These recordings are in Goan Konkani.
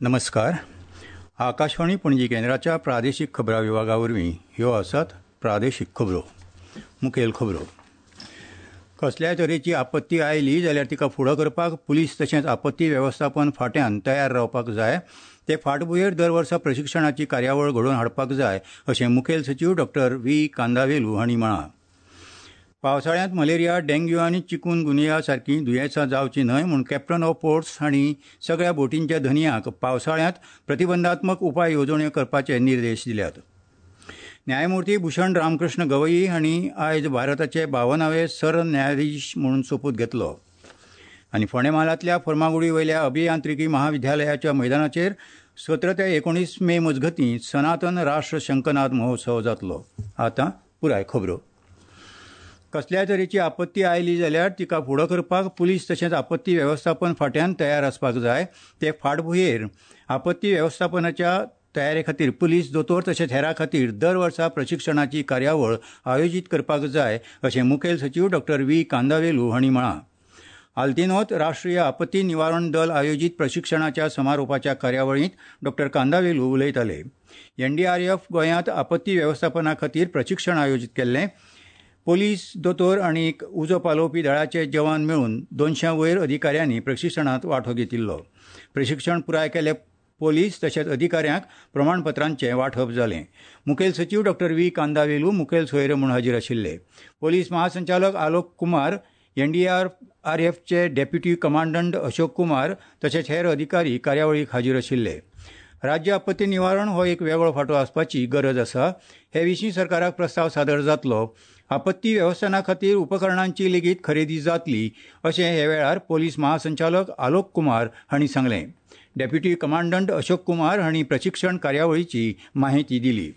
नमस्कार. आकाशवाणी पणजी केंद्राच्या प्रादेशीक खबरां विभागा वरवीं ह्यो आसात प्रादेशीक खबरो. मुखेल खबरो. कसल्याय तरेची आपत्ती आयली जाल्यार तिका फुडो करपाक पुलीस तशेंच आपत्ती वेवस्थापन फांट्यान तयार रावपाक जाय. ते फाटभुंयेर दर वर्सा प्रशिक्षणाची कार्यावळ घडोवन हाडपाक जाय अशें मुखेल सचीव डॉक्टर व्ही कांदावेलू हांणी म्हळां. पावसाळ्यांत मलेरिया, डेंग्यू आनी चिकून गुनिया सारकीं दुयेंसां जावचीं न्हय म्हूण कॅप्टन ऑफ पोर्ट्स हांणी सगळ्या बोटींच्या धनयांक पावसाळ्यांत प्रतिबंधात्मक उपाय येवजण्यो करपाचे निर्देश दिल्यात. न्यायमूर्ती भूषण रामकृष्ण गवई हांणी आयज भारताचे 52वे सरन्यायाधीश म्हणून सोपूत घेतलो. आनी फोंडें म्हालांतल्या फर्मागुडी वयल्या अभियांत्रिकी महाविद्यालयाच्या मैदानाचेर 17 ते 19 मे मजगतीं सनातन राष्ट्र शंखनाद महोत्सव जातलो. आतां पुराय खबरो. कसल्याय तरेची आपत्ती आयली जाल्यार तिका फुडो करपाक पुलीस तशेंच आपत्ती वेवस्थापन फांट्यान तयार आसपाक जाय. ते फाटभुंयेर आपत्ती वेवस्थापनाच्या तयारे खातीर पुलीस, दोतोर तशेंच हेरां खातीर दर वर्सा प्रशिक्षणाची कार्यावळ आयोजीत करपाक जाय अशें मुखेल सचीव डॉक्टर व्ही कांदावेलू हांणी म्हळां. आल्तिनोत राष्ट्रीय आपत्ती निवारण दल आयोजीत प्रशिक्षणाच्या समारोपाच्या कार्यावळींत डॉक्टर कांदावेलू उलयताले. एनडीआरएफ गोंयांत आपत्ती वेवस्थापना खातीर प्रशिक्षण आयोजीत केल्लें. पोलीस, दोतोर आनी उजो पालोवपी दळाचे जवान मेळून 200 वयर अधिकाऱ्यांनी प्रशिक्षणांत वांटो घेतिल्लो. प्रशिक्षण पुराय केल्ले पोलीस तशेंच अधिकाऱ्यांक प्रमाणपत्रांचें वांटप जालें. मुखेल सचीव डॉक्टर व्ही कांदावेलू मुखेल सोयरे म्हूण हाजीर आशिल्ले. पोलीस महासंचालक आलोक कुमार, एनडीआरएफचे डेप्युटी कमांडंट अशोक कुमार तशेंच हेर अधिकारी कार्यावळीक हाजीर आशिल्ले. राज्य आपत्ती निवारण हो एक वेगळो फांटो आसपाची गरज आसा. हे विशीं सरकाराक प्रस्ताव सादर जातलो. आपत्ती वेवस्थापना खातीर उपकरणांची लेगीत खरेदी जातली अशें हे वेळार पोलीस महासंचालक आलोक कुमार हांणी सांगलें. डेप्युटी कमांडंट अशोक कुमार हांणी प्रशिक्षण कार्यावळीची माहिती दिली.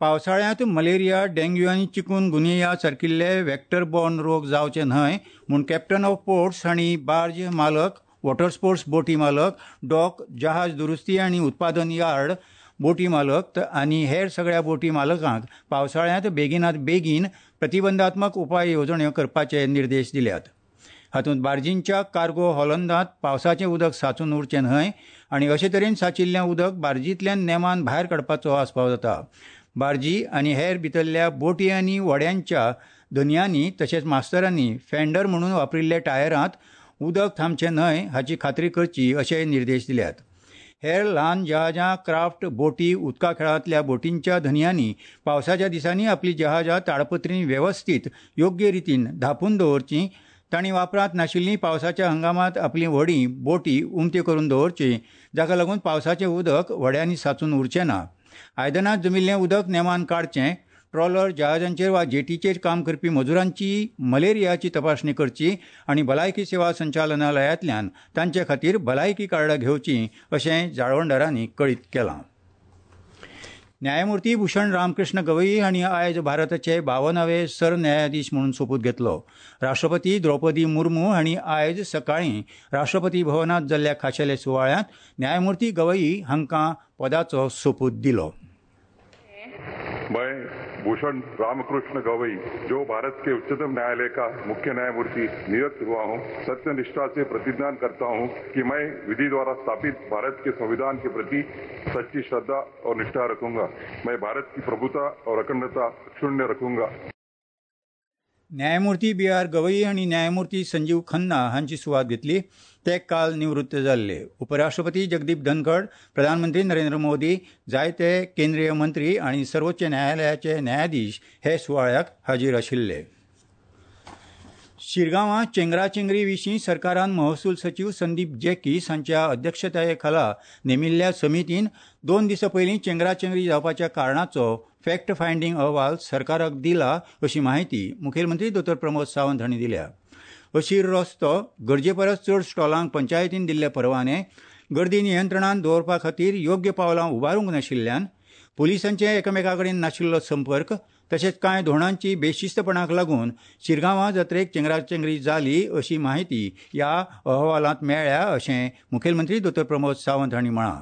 पावसाळ्यांत मलेरिया, डेंग्यू आनी चिकून गुनिया सारकिल्ले वेक्टर बॉर्न रोग जावचे न्हय म्हूण कॅप्टन ऑफ पोर्ट्स हांणी बार्ज मालक, वॉटर स्पोर्ट्स बोटी मालक, डॉक, जहाज दुरुस्ती आनी उत्पादन यार्ड, बोटी मालक आनी हेर सगळ्या बोटी मालकांक पावसाळ्यांत बेगिनात बेगीन प्रतिबंधात्मक उपाय येवजण्यो करपाचे निर्देश दिल्यात. हातूंत बार्जींच्या कार्गो हॉलंदांत पावसाचें उदक सांचून उरचें न्हय आनी अशे तरेन सांचिल्लें उदक बार्जींतल्यान नेमान भायर काडपाचो आस्पाव जाता. बार्जी आनी हेर भितरल्या बोटी आनी व्हड्यांच्या धनयांनी तशेंच मास्तरांनी फेंडर म्हणून वापरिल्ल्या टायरांत उदक थांबचें न्हय हाची खात्री करची अशेय निर्देश दिल्यात. हेर ल्हान जहाजां, क्राफ्ट बोटी, उदका खेळांतल्या बोटींच्या धनयांनी पावसाच्या दिसांनी आपली जहाजां ताडपत्रीन वेवस्थीत योग्य रितीन धांपून दवरचीं. तांणी वापरांत नाशिल्लीं पावसाच्या हंगामांत आपलीं व्हडीं, बोटी उमत्यो करून दवरचीं, जाका लागून पावसाचें उदक व्हड्यांनी सांचून उरचें ना. आयदनांत जमिल्लें उदक नेमान काडचें. ट्रॉलर, जहाजांचेर वा जेटीचेर काम करपी मजुरांची मलेरियाची तपासणी करची आनी भलायकी सेवा संचालनालयांतल्यान तांचे खातीर भलायकी कार्डां घेवचीं अशें जाळवणदारांनी कळीत केलां. न्यायमूर्ती भूषण रामकृष्ण गवई हांणी आयज भारताचे 52वे सरन्यायाधीश म्हणून सोपूत घेतलो. राष्ट्रपती द्रौपदी मुर्मू हांणी आयज सकाळीं राष्ट्रपती भवनांत जाल्ल्या खाशेल्या सुवाळ्यांत न्यायमूर्ती गवई हांकां पदाचो सोपूत दिलो. मैं भूषण रामकृष्ण गवई, जो भारत के उच्चतम न्यायालय का मुख्य न्यायमूर्ति नियुक्त हुआ हूँ, सत्य निष्ठा से प्रतिज्ञा करता हूँ कि मैं विधि द्वारा स्थापित भारत के संविधान के प्रति सच्ची श्रद्धा और निष्ठा रखूंगा. मैं भारत की प्रभुता और अखंडता अक्षुण्य रखूंगा. न्यायमूर्ती बी आर गवई आनी न्यायमूर्ती संजीव खन्ना हांची सुवात घेतली. ते काल निवृत्त जाल्ले. उपराष्ट्रपती जगदीप धनखड, प्रधानमंत्री नरेंद्र मोदी, जायते केंद्रीय मंत्री आनी सर्वोच्च न्यायालयाचे न्यायाधीश हे सुवाळ्याक हाजीर आशिल्ले. शिरगांवां चेंगराचेंगरी विशीं सरकारान महसूल सचीव संदीप जॅकीस हांच्या अध्यक्षताये खाला नेमिल्ल्या समितीन 2 दिसां पयलीं चेंगराचेंगरी जावपाच्या कारणाचो फॅक्ट फायंडींग अहवाल सरकाराक दिला अशी माहिती मुखेलमंत्री दोतोर प्रमोद सावंत हांणी दिल्या. अशीर रस्तो, गरजे परस चड स्टॉलांक पंचायतीन दिल्ले परवाने, गर्दी नियंत्रणान दवरपा खातीर योग्य पावलां उबारूंक नाशिल्ल्यान, पुलिसांचे एकामेका कडेन नाशिल्लो संपर्क तशेंच कांय धोरणांची बेशिस्तपणाक लागून शिरगांवां जात्रेक चेंगराचेंगरी जाली अशी माहिती ह्या अहवालांत मेळ्ळ्या अशें मुखेलमंत्री दोतोर प्रमोद सावंत हांणी म्हळां.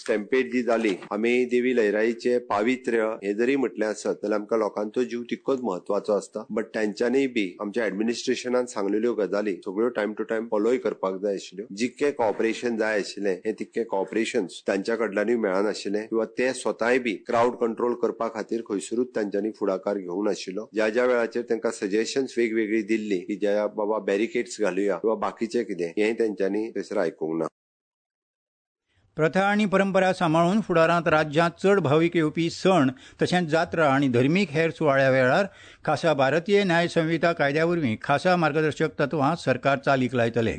स्टॅम्पेड जी जाली, आमी देवी लयराईचे पावित्र्य हे जरी म्हटलें आसत जाल्यार आमकां लोकांचो जीव तितकोच म्हत्वाचो आसता. बट तांच्यांनी बी आमच्या ऍडमिनिस्ट्रेशनान सांगलेल्यो गजाली सगळ्यो टायम टू टायम फॉलोय करपाक जाय आशिल्ल्यो. जितकें कॉपरेशन जाय आशिल्लें हें तितकें कॉपरेशन तांच्या कडल्यानूय मेळनाशिल्लें किंवा ते स्वताय बी क्रावड कंट्रोल करपा खातीर खंयसरूच तांच्यांनी फुडाकार घेवंक नाशिल्लो. ज्या ज्या वेळाचेर तांकां सजेशन्स वेगवेगळी दिल्ली की ज्या बाबा बॅरिकेड्स घालुया किंवा बाकीचें कितें, हें तांच्यांनी थंयसर आयकूंक ना. प्रथा आनी परंपरा सांबाळून फुडारांत राज्यांत चड भावीक येवपी सण तशेंच जात्रा आनी धर्मीक हेर सुवाळ्या वेळार खासा भारतीय न्याय संहिता कायद्या वरवीं खासा मार्गदर्शक तत्वां सरकार चालीक लायतले.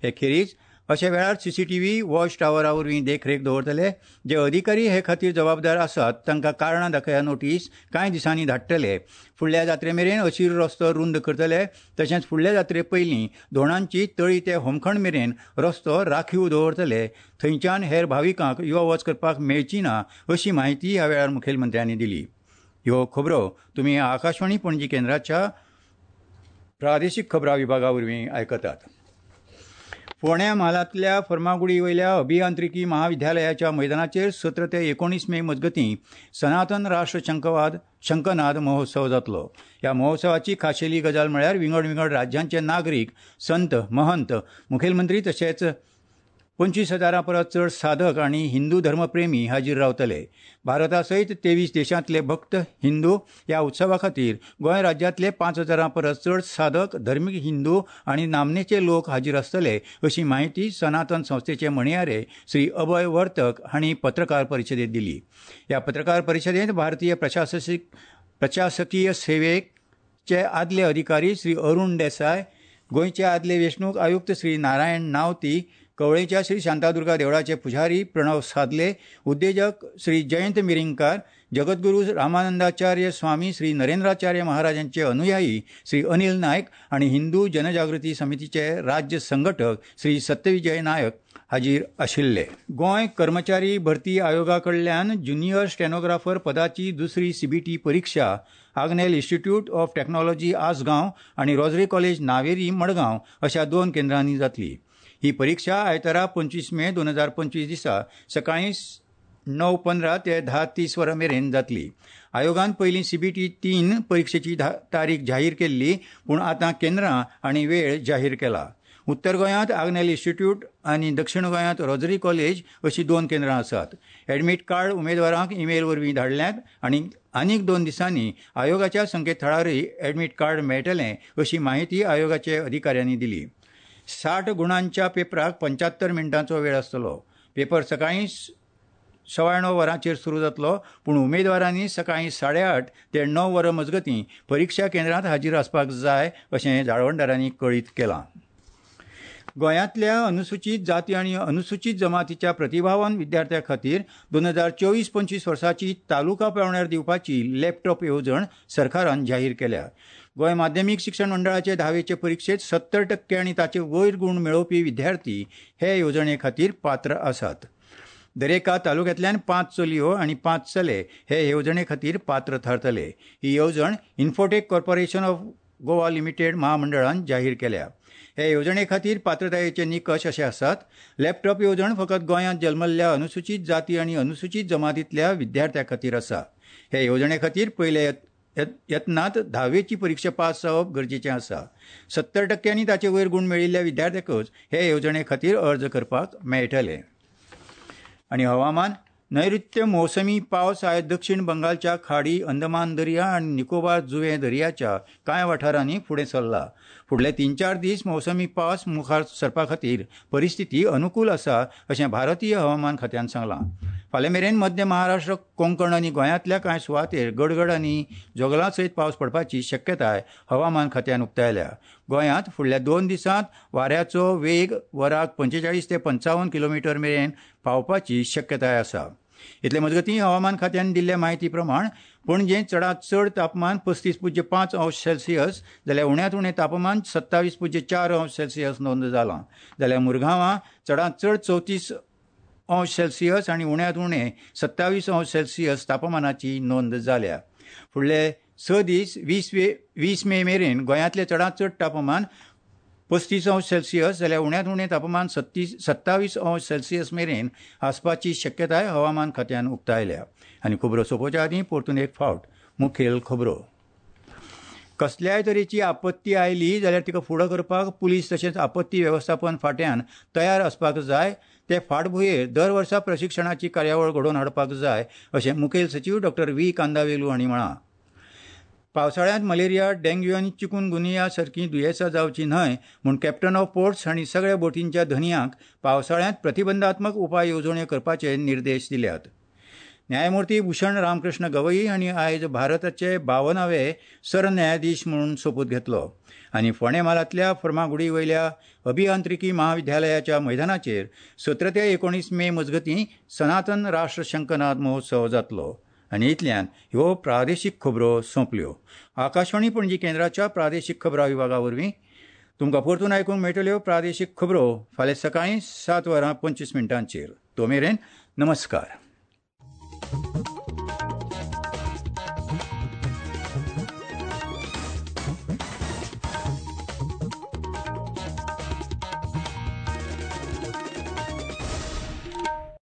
हे खेरीज अशा वेळार सीसीटीव्ही वॉच टावरा वरवीं देखरेख दवरतले. जे अधिकारी हे खातीर जबाबदार आसात तांकां कारणां दाखया नोटीस कांय दिसांनी धाडटले. फुडल्या जात्रे मेरेन अशीर रस्तो रुंद करतले. तशेंच फुडल्या जात्रे पयलीं धोणांची तळी ते होमखण मेरेन रस्तो राखीव दवरतले. थंयच्यान हेर भाविकांक यो वच करपाक मेळची ना अशी म्हायती ह्या वेळार मुखेलमंत्र्यांनी दिली. ह्यो खबरो तुमी आकाशवाणी पणजी केंद्राच्या प्रादेशीक खबरां विभागा वरवीं आयकतात. फोंड्या म्हालांतल्या फर्मागुडी वयल्या अभियांत्रिकी महाविद्यालयाच्या मैदानाचेर 17 ते 19 मे मजगतीं सनातन राष्ट्र शंखनाद महोत्सव जातलो. ह्या महोत्सवाची खाशेली गजाल म्हळ्यार विंगड विंगड राज्यांचे नागरीक, संत, महंत, मुखेलमंत्री तशेंच 25,000 परस चड साधक आनी हिंदू धर्मप्रेमी हाजीर रावतले. भारता सयत 23 देशांतले भक्त हिंदू ह्या उत्सवा खातीर गोंय राज्यांतले 5,000 परस चड साधक, धर्मीक हिंदू आनी नामनेचे लोक हाजीर आसतले अशी म्हायती सनातन संस्थेचे म्हणयारे श्री अभय वर्तक हांणी पत्रकार परिशदेंत दिली. ह्या पत्रकार परिशदेंत भारतीय प्रशासकीय सेवेचे आदले अधिकारी श्री अरुण देसाय, गोंयचे आदले वेंचणूक आयुक्त श्री नारायण नावती, कवळेच्या श्री शांतादुर्गा देवळाचे पुजारी प्रणव सादले, उद्देजक श्री जयंत मिरिंगकार, जगद्गुरू रामानंदाचार्य स्वामी श्री नरेंद्राचार्य महाराजांचे अनुयायी श्री अनिल नायक आनी हिंदू जनजागृती समितीचे राज्य संघटक श्री सत्यविजय नायक हाजीर आशिल्ले. गोंय कर्मचारी भरती आयोगा कडल्यान ज्युनियर स्टेनोग्राफर पदाची दुसरी सीबीटी परिक्षा Agnel institute of technology Assagao आनी रोजरी कॉलेज नावेरी मडगांव अशा 2 केंद्रांनी जातली. ही परीक्षा आयतारा 25 मे 2025 दिसा सकाळीं 9:15 ते 10:30 वरां मेरेन जातली. आयोगान पयलीं सीबीटी 3 परिक्षेची तारीख जाहीर केल्ली, पूण आतां केंद्रां आनी वेळ जाहीर केला. उत्तर गोंयांत आग्नेल इन्स्टिट्यूट आनी दक्षिण गोंयांत रोजरी कॉलेज अशी 2 केंद्रां आसात. एडमीट कार्ड उमेदवारांक ईमेल वरवीं धाडल्यात आनी आनीक 2 दिसांनी आयोगाच्या संकेतथळारय एडमीट कार्ड मेळटलें अशी म्हायती आयोगाचे अधिकाऱ्यांनी दिली. 60 गुणांच्या पेपराक 75 मिनटांचो वेळ आसतलो. पेपर सकाळीं 9:15 वरांचेर सुरू जातलो, पूण उमेदवारांनी सकाळीं 8:30 ते 9 वरां मजगतीं परिक्षा केंद्रांत हाजीर आसपाक जाय अशें जाळवणदारांनी कळीत केलां. गोंयांतल्या अनुसूचीत जाती आनी अनुसूचीत जमातीच्या प्रतिभावान विद्यार्थ्यां खातीर 2024-25 वर्साची तालुका पावंड्यार दिवपाची लॅपटॉप येवजण सरकारान जाहीर केल्या. गोंय माध्यमीक शिक्षण मंडळाचे 10वेचे परिक्षेत 70% आनी ताचे वयर गूण मेळोवपी विद्यार्थी हे येवजणे खातीर पात्र आसात. दरेका तालुक्यांतल्यान 5 चलयो आनी 5 चले हे येवजणे खातीर पात्र थारतले. ही येवजण Infotech corporation of Goa limited महामंडळान जाहीर केल्या. हे येवजणे खातीर पात्रतायेचे निकश अशे आसात. लॅपटॉप येवजण फकत गोंयांत जल्मल्ल्या अनुसूचीत जाती आनी अनुसूचीत जमातींतल्या विद्यार्थ्यां खातीर आसा. हे येवजणे खातीर पयल्या यत्नांत 10वेची परिक्षा पास जावप गरजेचें आसा. 70% आनी ताचे वयर गूण मेळिल्ल्या विद्यार्थ्यांकूच हे येवजणे खातीर अर्ज करपाक मेळटले. आनी हवामान. नैऋत्य मोसमी पावस आयज दक्षिण बंगालच्या खाडी, अंदमान दर्या आनी निकोबार जुंवे दर्याच्या कांय वाठारांनी फुडें सरला. फुडले 3-4 दीस मोसमी पावस मुखार सरपा खातीर परिस्थिती अनुकूल आसा अशें भारतीय हवामान खात्यान सांगलां. फाल्यां मेरेन मध्य महाराष्ट्र, कोंकण आनी गोंयांतल्या कांय सुवातेर गडगड आनी जोगलां सयत पावस पडपाची शक्यताय हवामान खात्यान उक्तायल्या. गोंयांत फुडल्या 2 दिसांत वाऱ्याचो वेग वराक 45 ते 55 किलोमिटर मेरेन पावपाची शक्यताय आसा. इतले मजगतीं हवामान खात्यान दिल्ल्या म्हायती प्रमाण पणजे चडांत चड तापमान 35.5 अंश सेल्सियस जाल्यार उण्यांत उणें तापमान 27.4 अंश सेल्सियस नोंद जालां. जाल्यार मुरगांवां चडांत चड 34 अंश सेल्सियस आनी उण्यांत उणें 27 अंश सेल्सियस तापमानाची नोंद जाल्या. फुडले 6 दीस 20 मे मेरेन गोंयांतलें चडांत चड तापमान 35 अंश सेल्सियस जाल्यार उण्यांत उणें तापमान 27 अंश सेल्सियस मेरेन आसपाची शक्यताय हवामान खात्यान उक्तायल्या. आनी खबरो सोंपोवच्या आदीं परतून एक फावट मुखेल खबरो. कसल्याय तरेची आपत्ती आयली जाल्यार तिका फुडो करपाक पुलीस तशेंच आपत्ती वेवस्थापन फांट्यान तयार आसपाक जाय. ते फाटभुंयेर दर वर्सा प्रशिक्षणाची कार्यावळ घडोवन हाडपाक जाय अशें मुखेल सचीव डॉक्टर व्ही कांदावेलू हांणी म्हळां. पावसाळ्यांत मलेरिया, डेंग्यू आनी चिकुनगुनिया सारकीं दुयेंसां जावचीं न्हय म्हूण कॅप्टन ऑफ पोर्ट्स हांणी सगळ्या बोटींच्या धनयांक पावसाळ्यांत प्रतिबंधात्मक उपाय येवजण्यो करपाचे निर्देश दिल्यात. न्यायमूर्ती भूषण रामकृष्ण गवई हांणी आयज भारताचे 52वे सरन्यायाधीश म्हणून सोपूत घेतलो. आनी फोंडें म्हालांतल्या फर्मागुडी वयल्या अभियांत्रिकी महाविद्यालयाच्या मैदानाचेर 17 ते 19 मे मजगतीं सनातन राष्ट्र शंखनाद महोत्सव जातलो. आनी इतल्यान ह्यो प्रादेशीक खबरो सोंपल्यो. आकाशवाणी पणजी केंद्राच्या प्रादेशीक खबरां विभागा वरवीं तुमकां परतून आयकूंक मेळटल्यो प्रादेशीक खबरो फाल्यां सकाळीं 7:25. तो मेरेन नमस्कार.